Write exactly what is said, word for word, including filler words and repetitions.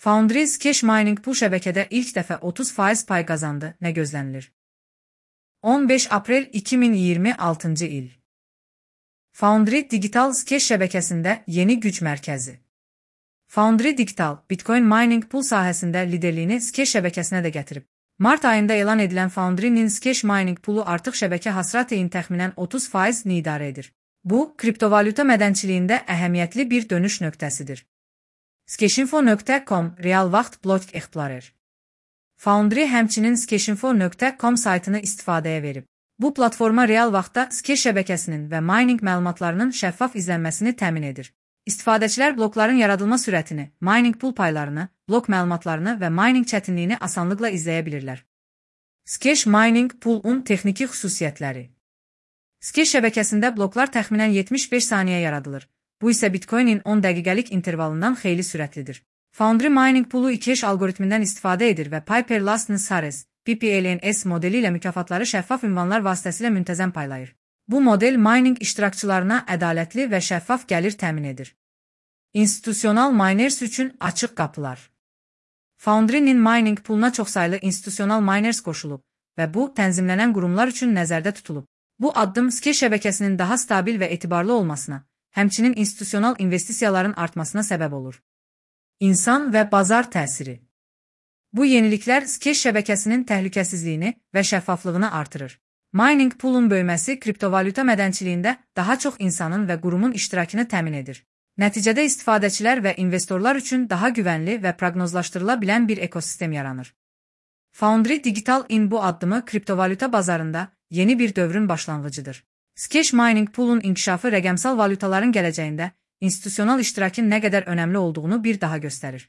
Foundry Cash Mining Pool şəbəkədə ilk dəfə otuz faiz pay qazandı. Nə gözlənilir? on beş aprel iki min iyirmi altıncı il. Foundry Digital Cash şəbəkəsində yeni güc mərkəzi. Foundry Digital, Bitcoin Mining Pool sahəsində liderliyini Cash şəbəkəsinə də gətirib. Mart ayında elan edilən Foundry'nin Cash Mining Pool'u artıq şəbəkə hasrateyin təxminən otuz faizini idarə edir. Bu, kriptovalyuta mədənçiliyində əhəmiyyətli bir dönüş nöqtəsidir. Skeshinfo nöqtə com Real vaxt Block Explorer. Foundry həmçinin skeshinfo nöqtə com saytını istifadəyə verib. Bu platforma real vaxtda Cash şəbəkəsinin və mining məlumatlarının şəffaf izlənməsini təmin edir. İstifadəçilər blokların yaradılma sürətini, mining pool paylarını, blok məlumatlarını və mining çətinliyini asanlıqla izləyə bilirlər. Cash Mining Pool-un texniki xüsusiyyətləri. Cash şəbəkəsində bloklar təxminən yetmiş beş saniyə yaradılır. Bu isə Bitcoin-in on dəqiqəlik intervalından xeyli sürətlidir. Foundry Mining Pool-u iki hash algoritmindən istifadə edir və Piper Lastn Sares, P P L N S modeli ilə mükafatları şəffaf ünvanlar vasitəsilə müntəzəm paylayır. Bu model mining iştirakçılarına ədalətli və şəffaf gəlir təmin edir. İnstitusional miners üçün açıq qapılar. Foundry-nin mining pooluna çoxsaylı institusional miners qoşulub və bu, tənzimlənən qurumlar üçün nəzərdə tutulub. Bu addım Cash şəbəkəsinin daha stabil və etibarlı olmasına, həmçinin institusional investisiyaların artmasına səbəb olur. İnsan və bazar təsiri. Bu yeniliklər Cash şəbəkəsinin təhlükəsizliyini və şəffaflığını artırır. Mining pool'un böyüməsi kriptovalyuta mədənçiliyində daha çox insanın və qurumun iştirakını təmin edir. Nəticədə istifadəçilər və investorlar üçün daha güvənli və proqnozlaşdırıla bilən bir ekosistem yaranır. Foundry Digital in bu addımı kriptovalyuta bazarında yeni bir dövrün başlanğıcıdır. Cash Mining Pool-un inkişafı rəqəmsal valyutaların gələcəyində institusional iştirakın nə qədər önəmli olduğunu bir daha göstərir.